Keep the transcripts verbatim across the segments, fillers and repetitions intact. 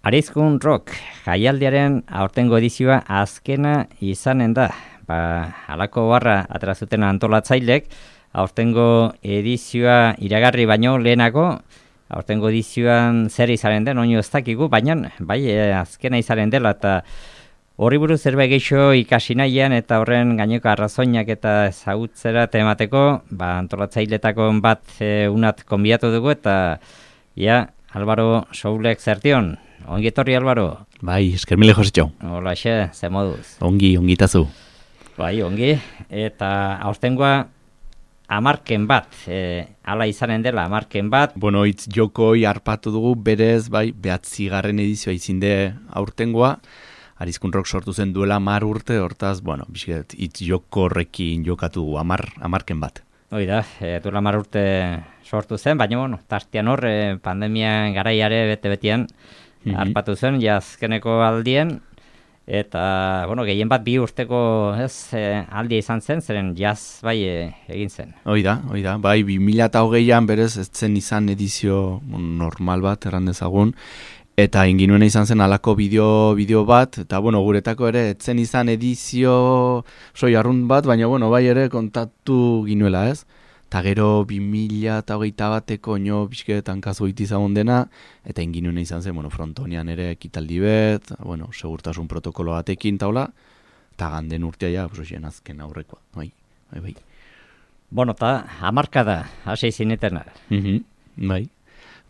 Arizkun Rock jaialdiaren aurtengo edizioa azkena izanen da. Ba, halako barra atrazuten antolatzailek, aurtengo edizioa iragarri baino lehenago, aurtengo edizioan zer izanen den, oino ez dakigu, baina bai, azkena izanen dela, eta horri buruz zerbait gehiago ikasi nahian, eta horren gaineko arrazoinak eta ezagutzera temateko, ba, antolatzailetako bat e, unat konbiatu dugu, eta ja, Álvaro Soulek zertion. Ongi etorri, Álvaro. Bai, eskermile Josetxo. Hola, xe, ze moduz. Ongi, ongi tazu. Bai, ongi, eta aurtengoa amarken bat, e, ala izanen dela amarken bat. Bueno, itz jokoi harpatu dugu, berez, bai, behatzigarren edizioa izinde aurtengoa, Arizkun Rock sortu zen duela amar urte, hortaz, bueno, bizket, itz jokorrekin jokatu dugu, amar, amarken bat. Hoi da, e, duela amar urte sortu zen, baina, bueno, tartean hor, e, pandemia garaiare bete-betian, mm-hmm. harpatu zen, jazkeneko aldien, eta, bueno, gehien bat bi urteko ez, e, aldia izan zen, zeren jaz bai e, egin zen. Hoi da, hoi da, bai, bi mila eta hogeian berez, ez zen izan edizio normal bat, erran dezagun, eta inginuena izan zen alako bideo, bideo bat, eta, bueno, guretako ere, ez zen izan edizio soi arrunt bat, baina, bueno, bai ere kontatu ginuela, ez? Eta gero bi mila eta hogeita bateko nio bizketan kasu egiti zagon dena, eta inginuena izan zen, bueno, frontonean ere ekitaldi bet, bueno, segurtasun protokolo batekin taula, eta ganden urtea ja, pues, oien azken aurrekoa, bai, bai, bai. Bueno, eta hamarka da, hasi zinetena. Mm-hmm, bai.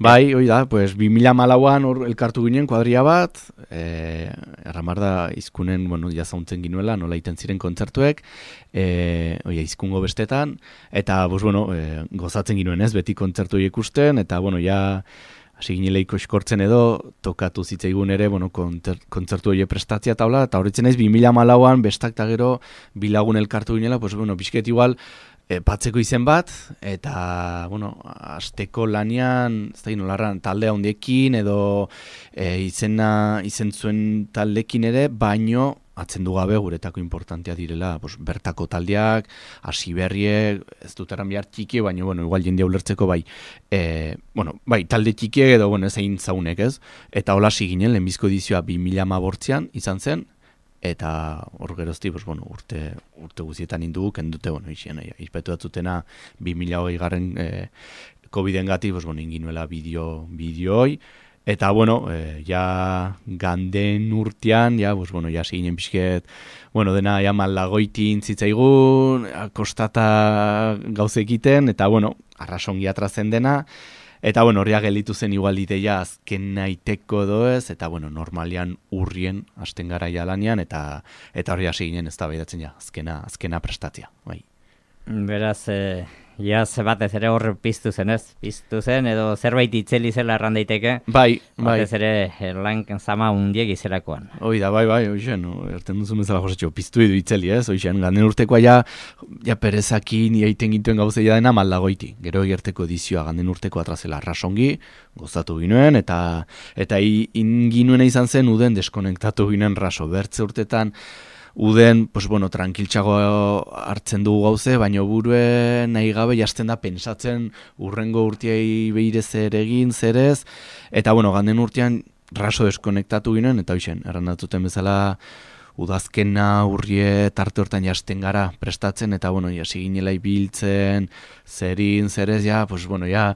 Bai, hoi da, pues, bi mila hamalauan hor elkartu ginen kuadria bat, e, erramar da izkunen, bueno, jazauntzen ginuela, nola iten ziren kontzertuek, e, oia, izkungo bestetan, eta, pues, bueno, e, gozatzen ginuen ez, beti kontzertu ikusten, eta, bueno, ja, hasi gineleiko eskortzen edo, tokatu zitzaigun ere, bueno, kontzertu hori prestatzea taula, eta horretzen ez, bi mila hamalauan, bestak eta gero, bilagun elkartu ginela, pues, bueno, bizket igual, E, patzeko izen bat, eta, bueno, asteko lanian, ez da nolarran, talde handiekin, edo e, izena, izen zuen taldekin ere, baino, atzen du gabe guretako importantea direla, pues, bertako taldeak, hasi berriek, ez dut erran behar txiki, baina, bueno, igual jendea ulertzeko bai, e, bueno, bai, talde txikiek edo, bueno, ez egin zaunek, ez? Eta hola ginen, lehenbizko edizioa bi mila hamabortzean izan zen, eta hor gerozti, pues, bueno, urte, urte guzietan indugu, kendute, bueno, izan, izpetu datzutena bi mila hogei garren eh, COVID-en gati, pues, bueno, inginuela bideo, bideoi, eta, bueno, eh, ja ganden urtean, ja, pues, bueno, ja seginen pixket, bueno, dena, ja malagoitin zitzaigun, kostata gauze egiten, eta, bueno, arrasongi atrazen dena, eta, bueno, horria gelitu zen igual ideia azken naiteko doez, eta, bueno, normalian urrien hasten gara jalanean, eta eta horri hasi ginen ez da behidatzen ja, azkena, azkena prestatzea, bai. Beraz, e, ja, ze batez ere hor piztu zen ez? Piztu zen, edo zerbait itzeli zela erran daiteke? Bai, bai. Batez ere, lan zama hundiek izelakoan. Hoi da, bai, bai, hoixen, erten duzun bezala Josetxo, piztu edo itzeli ez, hoixen, ganden urtekoa ja, ja perezakin, iaiten gintuen gauzea dena maldagoiti. Gero egerteko edizioa ganden urteko atrazela arrasongi, gozatu ginuen, eta eta inginuena izan zen uden deskonektatu ginen raso, bertze urtetan, uden, pues, bueno, tranquiltxago hartzen dugu gauze, baina burue nahi gabe jasten da pensatzen urrengo urteai behire zer egin, zerez, eta, bueno, ganden urtean raso deskonektatu ginen, eta hoixen, errandatzuten bezala udazkena urrie tarte hortan jasten gara prestatzen, eta, bueno, jasi ginela ibiltzen, zerin, zerez, ja, pues, bueno, ja,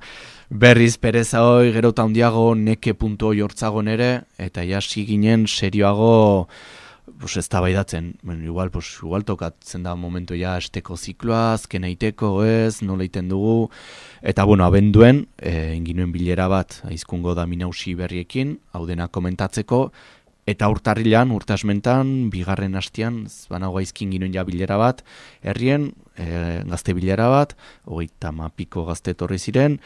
berriz pereza hoi, gero eta handiago neke puntu hoi hortzagon ere, eta jasi ginen serioago, pues ez da baidatzen, bueno, igual, pues, igual tokatzen da momentu ja esteko zikloa, azken eiteko, ez, nola iten dugu, eta, bueno, abenduen, e, inginuen bilera bat, aizkungo da minausi berriekin, hau dena komentatzeko, eta urtarrilan, urtasmentan, bigarren hastian, banago aizkin ginuen ja bilera bat, herrien, e, gazte bilera bat, hogeita mapiko gazte etorri ziren,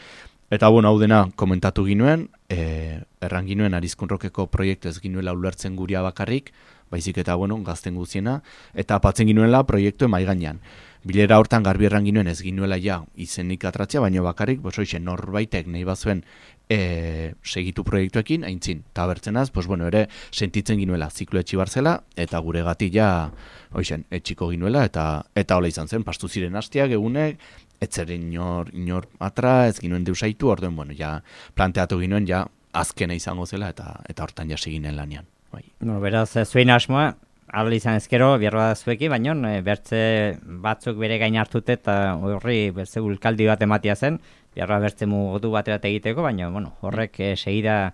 eta, bueno, hau dena komentatu ginuen, e, erran ginuen Arizkun Rockeko proiektu ez ginuela ulertzen guria bakarrik, baizik eta, bueno, gazten guziena, eta apatzen ginuela proiektu emai gainean. Bilera hortan garbi erran ginuen ez ginuela ja izenik atratzea, baina bakarrik, bosoixe, norbaitek nahi bazuen e, segitu proiektuekin, aintzin, eta bertzenaz, pues, bueno, ere sentitzen ginuela ziklo etxi barzela, eta gure gati ja, oixen, etxiko ginuela, eta eta hola izan zen, pastu ziren hastiak, egunek, ez zeren inor, inor atra, ez ginuen deusaitu, orduen, bueno, ja planteatu ginuen, ja azkena izango zela, eta eta hortan jasi ginen lanean. Bai. No, beraz, zuen asmoa, ahal izan ezkero, bierra da zueki, baina e, bertze batzuk bere gain hartute eta horri bertze ulkaldi bat ematia zen, bierra bertze mugotu baterat egiteko, baina bueno, horrek e, segida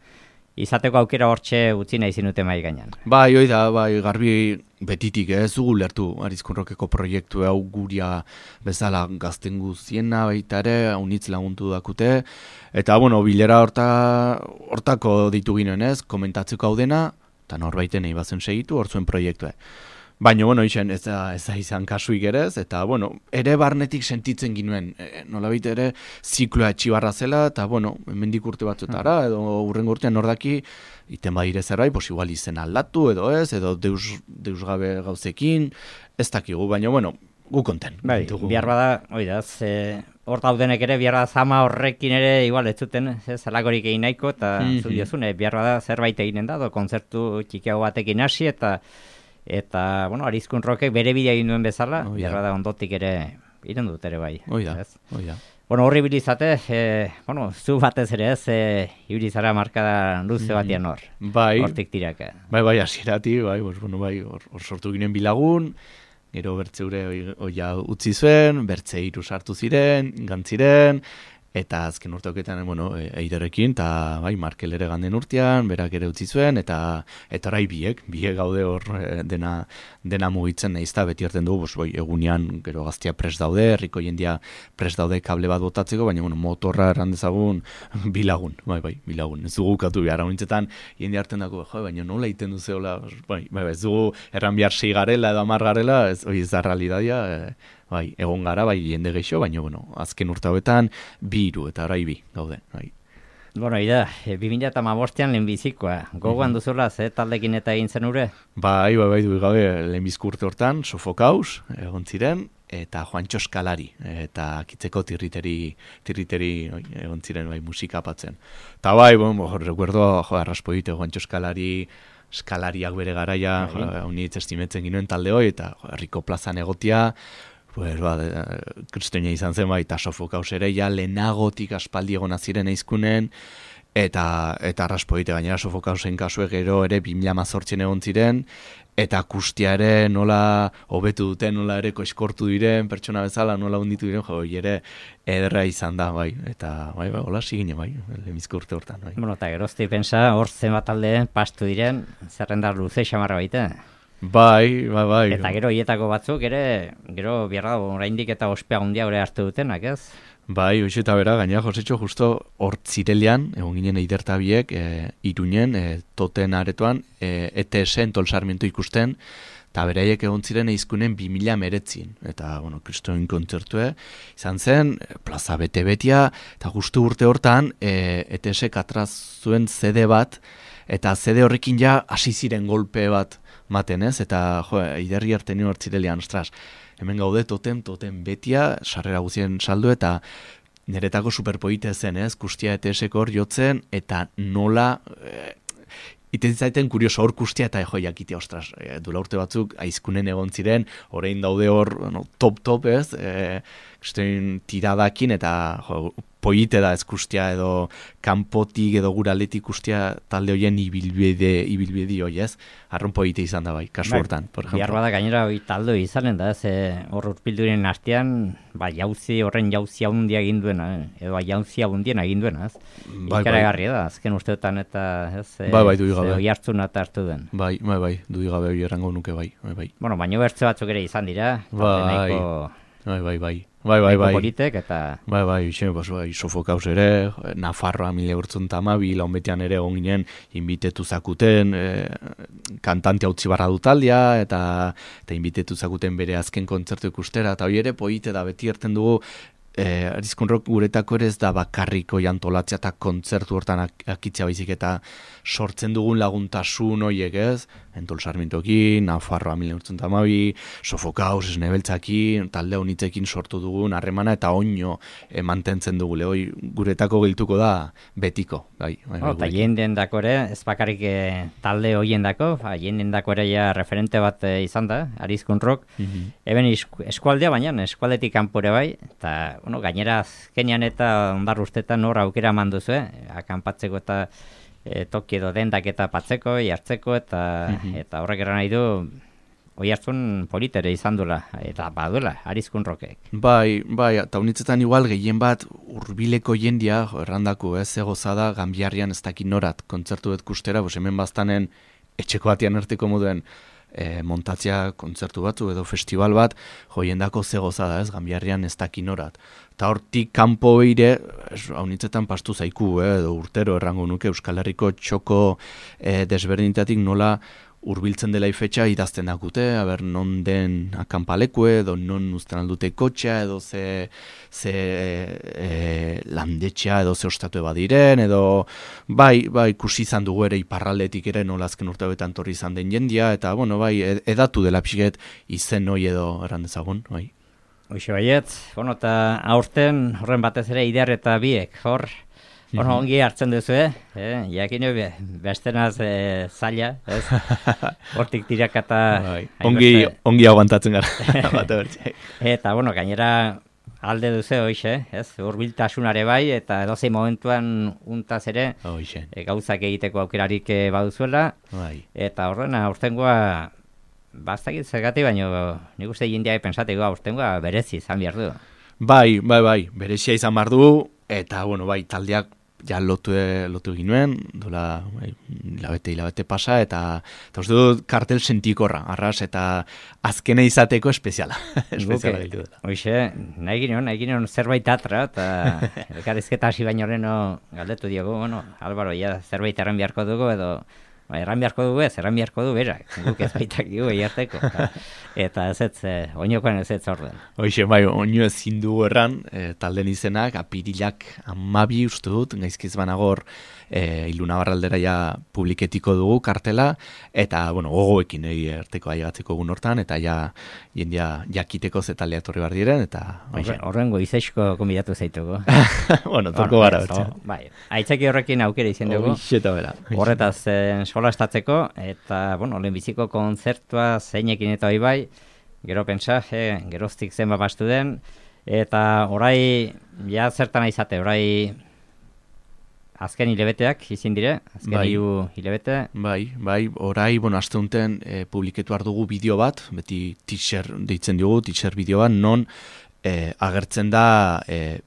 izateko aukera hortxe utzi nahi zinute mai gainean. Bai, hoi da, bai, garbi betitik ez dugu lertu Arizkunrokeko proiektu hau guria bezala gazten guziena baita ere, unitz laguntu dakute, eta bueno, bilera horta, hortako ditu ginen ez, komentatzeko hau dena, eta norbaiten nahi bazen segitu, hor zuen proiektua. Baina, bueno, izan, ez da, ez da izan kasuik ere ez, eta, bueno, ere barnetik sentitzen ginuen, e, nolabait ere zikloa etxibarra zela, eta, bueno, hemendik urte batzutara, edo urrengo urtean nordaki, iten badire zerbait, pos igual izen aldatu, edo ez, edo deus, deus gabe gauzekin, ez dakigu, baina, bueno, gu konten. Bai, bihar bada, oi da, ze, hor daudenek ere, bihar bada zama horrekin ere, igual ez zuten, ez, zalagorik egin nahiko, eta mm -hmm. zu diozune, bihar bada zerbait eginen da, do, kontzertu txikiago batekin hasi, eta Eta, bueno, Arizkunrokek bere bidea egin duen bezala, oh, ja. da ondotik ere iren dut ere bai. Oida, oida. Bueno, horri bilizate, e, bueno, zu batez ere ez, e, ibilizara markada luze batian hor. Bai. Hortik tiraka. Bai, bai, asirati, bai, bos, bueno, bai, hor, hor sortu ginen bilagun, gero bertzeure oia utzi zuen, bertze hiru sartu ziren, gantziren, eta azken urteoketan, bueno, eiderrekin, eta bai, Markel ere ganden urtean, berak ere utzi zuen, eta eta orai biek, biek gaude hor dena, dena mugitzen nahizta, beti hartzen dugu, bai, egunean gero gaztia prest daude, herriko jendia prest daude kable bat botatzeko, baina bueno, motorra eran dezagun bilagun, bai, bai, bilagun, ez dugu katu behar, honitzetan jendia hartzen dago, jo, baina nola iten duzeola, bai, bai, ez dugu erran behar sei garela edo amar garela, ez, oi, ez da realidadia, e, bai, egon gara, bai, jende geixo, baina, bueno, azken urte hauetan, bi hiru eta orai bi, gaude, bai. Bueno, ida, bi mila hamabostean lehenbizikoa, gogoan mm -hmm. duzula, ze taldekin eta egin zen ure? Bai, bai, bai, du gabe, lehenbizko urte hortan, Sofokaus, egon ziren, eta Juantxo Eskalari, eta kitzeko tirriteri, tirriteri oi, egon ziren, bai, musika apatzen. Eta bai, bon, jo, recuerdo, jo, arraspoite, Juantxo Eskalari, eskalariak bere garaia, honitz estimetzen ginoen talde hoi, eta jo, herriko plazan egotia, pues, ba, kristoina izan zen, bai, eta Sofokaus ere, ja, lehenagotik aspaldi egona ziren eizkunen, eta, eta arraspoite, gainera Sofokausen kasue gero ere bi mila hamazortzian egon ziren, eta akustia ere nola hobetu duten, nola ere koiskortu diren, pertsona bezala, nola hunditu diren, jo, ere ederra izan da, bai, eta, bai, bai, hola sigine, bai, lehenbizko urte hortan, bai. Bueno, eta gerozti pensa, hor zenbat alde pastu diren, zerrendar luze xamarra baita. Bai, bai, bai. Eta gero hietako batzuk ere, gero bierra oraindik eta ospea handia hori hartu dutenak, ez? Bai, hoxe eta bera, gainera Josetxo justo hor zirelian, egon ginen eidertabiek, e, Iruñen, e, toten aretoan, e, E T S Entol Sarmiento ikusten, eta beraiek egon ziren eizkunen bi mila meretzin. Eta, bueno, kristoin kontzertue, izan zen, plaza bete-betia, eta justu urte hortan, e, E T S katraz zuen C D bat, eta C D horrekin ja hasi ziren golpe bat maten, ez? Eta, jo, iderri harten hor zirelian, ostras, hemen gaude totem, totem betia, sarrera guzien saldu, eta niretako superpoite zen, ez? Kustia E T S-ko hor jotzen, eta nola, e, iten zaiten kurioso hor kustia, eta jo, jakitea, ostras, e, dula urte batzuk, aizkunen egon ziren, orain daude hor, no, top-top, ez? E, kristoin tiradakin, eta jo, poite da ez kustia edo kanpotik edo guraletik kustia talde hoien ibilbide, ibilbide hoi ez, arron poite izan da bai, kasu hortan, por ejemplo. Bihar bada gainera hoi talde izanen da, ez, hor urpilduren artean, ba, jauzi, horren jauzi handia egin duena, edo jauzi handien egin duena, ez. Bai, ikaragarria da, azken usteetan eta, ez, bai, bai, du igabe. Hoi hartzun eta hartu den. Bai, bai, bai, du igabe hoi errango nuke bai, bai, bai. Bueno, baino bertze batzuk ere izan dira, bai, nahiko... bai, bai, bai. Bai, bai, bai. Politek eta... Bai, bai, ixen, bas, bai, Sofokaus ere, Nafarroa mila urtzun tamabi, launbetean ere egon ginen, inbitetu zakuten, e, kantante hautzi barra dutaldia, eta, eta inbitetu zakuten bere azken kontzertu ikustera, eta hori ere, poite da, beti erten dugu, e, Arizkunrok guretako ere ez da bakarriko jantolatzea eta kontzertu hortan ak akitzea baizik eta sortzen dugun laguntasun horiek ez, Entol Sarmientokin, Nafarroa mila urtzun tamabi, Sofokaus, Esnebeltzakin, talde honitzekin sortu dugun harremana eta oino e, mantentzen dugu, lehoi guretako giltuko da betiko. Bai, bai, oh, eta jenden dako ere, ez bakarrik e, talde horien dako, ba, jenden dako ere ja referente bat e, izan da, Arizkunrok, mm-hmm. Eben eskualdea baina, eskualdetik kanpore bai, eta bueno, gainera azkenean eta ondar ustetan hor aukera eman duzu, eh? Akanpatzeko eta e, toki edo dendak eta patzeko, jartzeko, eta, mm-hmm. eta horrek eran nahi du, oi hartzun politere izan duela, eta baduela, arizkun rokek. Bai, bai, eta unitzetan igual gehien bat hurbileko jendia, errandako ez, egozada, Ganbiarrian ez dakit norat, kontzertu bet kustera, bos hemen baztanen etxeko batian erteko moduen e, montatzea kontzertu batzu edo festival bat, jo jendako zegozada ez, Ganbiarrian ez dakit norat. Eta hortik kanpo beire, haunitzetan pastu zaiku, eh, edo urtero errango nuke Euskal Herriko txoko eh, desberdintatik nola urbiltzen dela ifetxa idazten dakute, aber non den akanpalekue, edo non uzten aldute kotxea, edo ze, ze e, landetxea, edo ze ostatu badiren, edo bai, bai, ikusi izan dugu ere iparraldetik ere nola azken urtebetan torri izan den jendia, eta bueno, bai, edatu dela pixket izen hoi edo eran dezagun, bai. Hoxe baiet, bueno, eta aurten horren batez ere Ider eta biek, hor, bueno, ongi hartzen duzu, eh? eh jakin hori, bestenaz eh, zaila, ez? Hortik tirakata... Bai. Ongi, ongi aguantatzen gara. Eta, bueno, gainera alde duzu, hoxe, ez? Hurbiltasunare bai, eta edozein momentuan untaz ere e, gauzak egiteko aukerarik e, baduzuela. Bai. Eta horren, aurtengoa... Bastakit zergatik, baina nik uste jendeak pensateko aurtengoa berezi izan behar du. Bai, bai, bai, berezia izan behar du, eta, bueno, bai, taldeak ja lotu, lotu ginuen, dola, bai, hilabete, hilabete pasa, eta, eta uste dut kartel sentikorra, arras, eta azkena izateko espeziala. espeziala ditu dela. Hoxe, nahi ginen, nahi ginen zerbait atra, eta elkarrizketa hasi baino horreno galdetu diogu, bueno, Álvaro, ja zerbait erran beharko dugu, edo, ba, erran beharko dugu ez, erran beharko du berak, guk ez baitak dugu egiarteko. Eta ez ez, eh, oinokoan ez ez orden. Hoxe, bai, oino ezin dugu erran, e, talden izenak, apirilak amabi uste dut, gaizkiz banagor, e, Ilunabarraldera ja publiketiko dugu kartela, eta, bueno, gogoekin egi erteko aigatzeko egun hortan, eta ja, jendia jakiteko zetalea torri bar diren, eta... Horrengo izaisko konbidatu zaitugu. bueno, toko gara. Bai, aitzaki horrekin aukera izan dugu. Hoxe, bera. Horretaz, eh, solastatzeko, eta, bueno, lehenbiziko kontzertua zeinekin eta hoi bai, gero pentsa, eh, geroztik zenba bastu den, eta orai, ja zertan izate, orai azken hilebeteak izin dire, azken bai. hiru hilebete. Bai, bai, orai, bueno, azte unten e, publiketu dugu bideo bat, beti teaser deitzen dugu, teaser bideo bat, non e, agertzen da... E,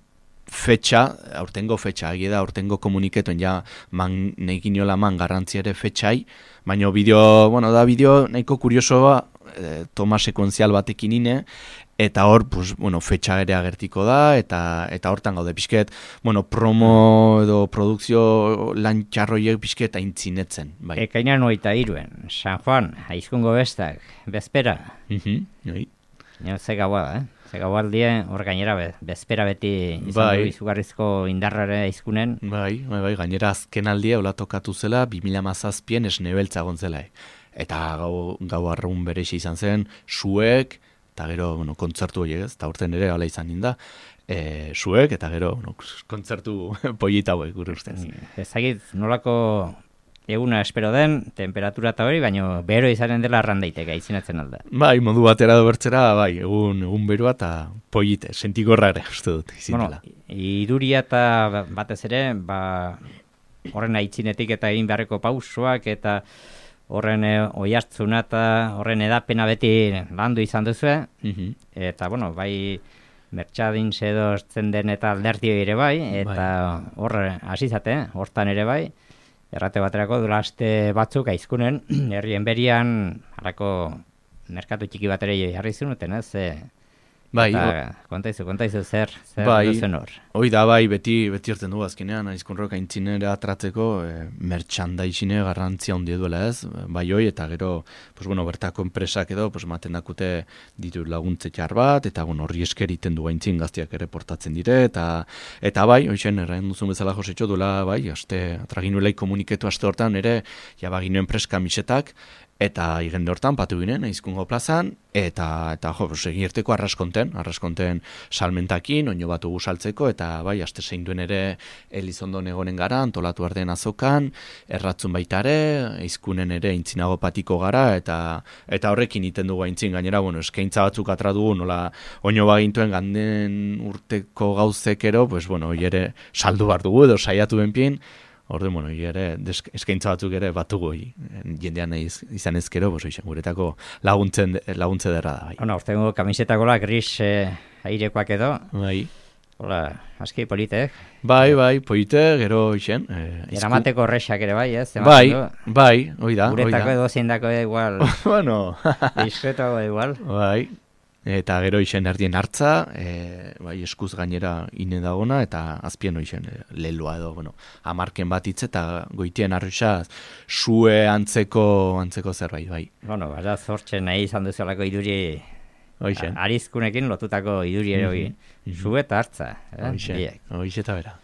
fetxa, aurtengo fetxa, egia da, aurtengo komuniketuen ja man, nahi giniola man garrantzi ere fetxai, baina bideo, bueno, da bideo nahiko kuriosoa, e, toma sekuenzial batekin ine, eta hor, pues, bueno, fetxa ere agertiko da, eta eta hortan gaude pixket, bueno, promo edo produkzio lan txarroiek pixket aintzinetzen. Bai. Ekainan hogeita hiruen, San Juan, aizkungo bestak, bezpera. Mhm, bai. Nio, ze gaua da, eh? Ze gaualdie, hor gainera, be, bezpera beti izan bai. du izugarrizko indarrare aizkunen. Bai, bai, bai, gainera azken aldia hola tokatu zela, bi mila hamazazpian esnebeltza gontzela. Eta gau, gau arrun berexi izan zen, suek, eta gero, bueno, kontzertu horiek ez, eta urten ere hala izan ninda, e, suek, eta gero, bueno, kontzertu pollita hauek, gure ustez. Ezagit, nolako eguna espero den, temperatura eta hori, baina bero izanen dela arrandaiteka, izinatzen alda. Bai, modu batera do bertzera, bai, egun, egun beroa eta pollite, sentikorra ere, uste dut, izin dela. Bueno, iruria eta batez ere, ba, horren aitzinetik eta egin beharreko pausoak, eta horren e, oihartzuna eta horren edapena beti landu izan duzu, mm-hmm. eta, bueno, bai, mertxadin edo zen den eta alderdi ere bai, eta horre hasizate, hortan ere bai, errate baterako dula aste batzuk aizkunen, herrien berian, harako merkatu txiki bat ere jarri zunuten, ez? E, bai, eta, kontaizu, kontaizu zer, zer bai, duzen hor. Hoi da, bai, beti, beti erten du azkenean, aizkunrok aintzinera atratzeko, e, mertxandaizine garrantzia hundi duela ez, bai hoi, eta gero, pues, bueno, bertako enpresak edo, pues, maten dakute ditu laguntze txar bat, eta bueno, horri esker iten du aintzin gaztiak ere portatzen dire, eta eta bai, hoixen, errain duzun bezala Josetxo duela, bai, aste, atraginuelai komuniketu aste hortan ere, jabaginuen preska misetak, eta igende hortan patu ginen, aizkungo plazan, eta, eta jo, egirteko arraskonten, arraskonten salmentakin, oino batu saltzeko, eta bai, aste zein duen ere Elizondon egonen gara, antolatu arden azokan, erratzun baita ere, aizkunen ere aintzinago patiko gara, eta eta horrekin iten dugu aintzin, gainera, bueno, eskaintza batzuk atra dugu, nola oino bagintuen ganden urteko gauzekero, pues, bueno, ere saldu bar dugu, edo saiatu benpien, Orde, bueno, ere, desk, eskaintza batzuk ere batugu jendean iz, izan ezkero, boso izan, guretako laguntzen, laguntze derra da. Bai. Bueno, urtengo kamisetakola gris eh, airekoak edo. Bai. Hola, aski politek. Bai, bai, polite, gero izan. Eh, Eramateko horrexak ere bai, ez? Bai, bai, oida. Guretako edo zeindako igual. Bueno. Diskretoago igual. Bai. Eta gero isen erdien hartza, e, bai, eskuz gainera ine dagona, eta azpien isen e, leloa edo, bueno, amarken bat hitz eta goitien arruxa sue antzeko, antzeko zerbait, bai. Bueno, bara zortzen nahi izan duzuelako iduri Oixen. Arizkunekin lotutako iduri ere hori. Mm -hmm. Sue eta hartza. Eh? Oixen, oixen eta bera.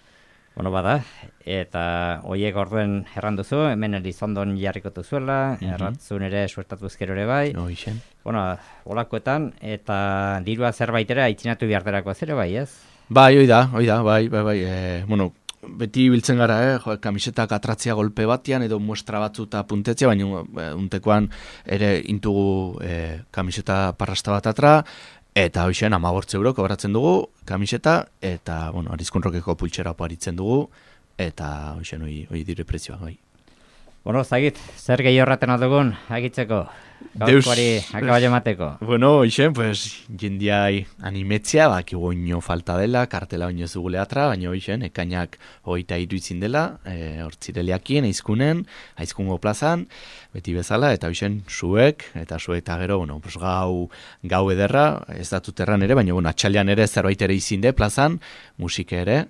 Bueno, bada, eta hoiek orduen erranduzu, hemen Elizondon jarriko duzuela, mm -hmm. erratzun ere suertatu ezkero ere bai. Oixen. Bueno, olakoetan, eta dirua zerbaitera itzinatu biharterako zere bai, ez? Bai, hoi da, hoi da, bai, bai, bai, e, bueno, beti biltzen gara, eh, jo, kamisetak atratzia golpe batian, edo muestra batzuta puntetzia, baina e, untekoan ere intugu e, kamiseta parrasta bat atra, eta hoxen amagortze euro kobratzen dugu kamiseta, eta, bueno, Arizkunrokeko pultsera oparitzen dugu, eta hoxen hoi, hoi dire prezioa, bai. Bueno, zagit, zer gehi horraten aldugun, agitzeko, gaurkoari akabaile mateko. Bueno, hoxen, pues, jendiai animetzea, bak, oino falta dela, kartela oino zugule atra, baina hoxen, ekainak hogeita hiru izin dela, e, hortzireliakien, aizkunen, aizkungo plazan, beti bezala, eta hoxen, zuek, eta zuek eta gero, bueno, pues, gau, gau ederra, ez datut erran ere, baina, bueno, atxalian ere zerbait ere izinde plazan, musike ere,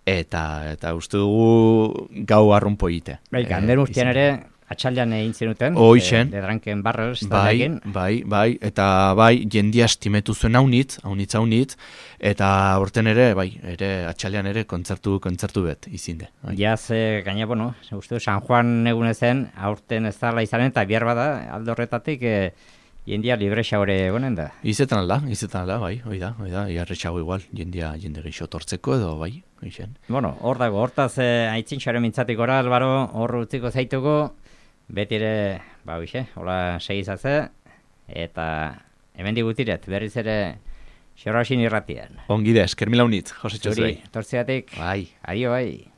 Eta eta uste dugu gau arrunpo egite. Bai, gander urtean ere atxaldean egin zenuten. Hoixen. De Drunken Barrels. Bai, bai, bai, eta bai, jendia estimetu zuen haunitz, haunitz, haunitz, eta horten ere, bai, ere atxaldean ere kontzertu, kontzertu bet, izinde. Bai. Jaz, e, gaina, bueno, uste San Juan egunezen, aurten ez dala izanen, eta bihar bada, aldo horretatik, e, jendia librexa hori egonen da. Izetan alda, izetan alda, bai, hoi da, hoi da, iarretxago igual, jendia jende geixo tortzeko edo, bai, hoixen. Bueno, hor dago, hortaz eh, aitzintxaren mintzatik ora, Albaro, hor utziko zaituko, beti ere, ba, hoxe, hola segizatze, eta hemen digutiret, berriz ere, xorrasin irratian. Ongide, eskermila unit, Jose Txozuei. Zuri, tortziatik, bai. adio bai.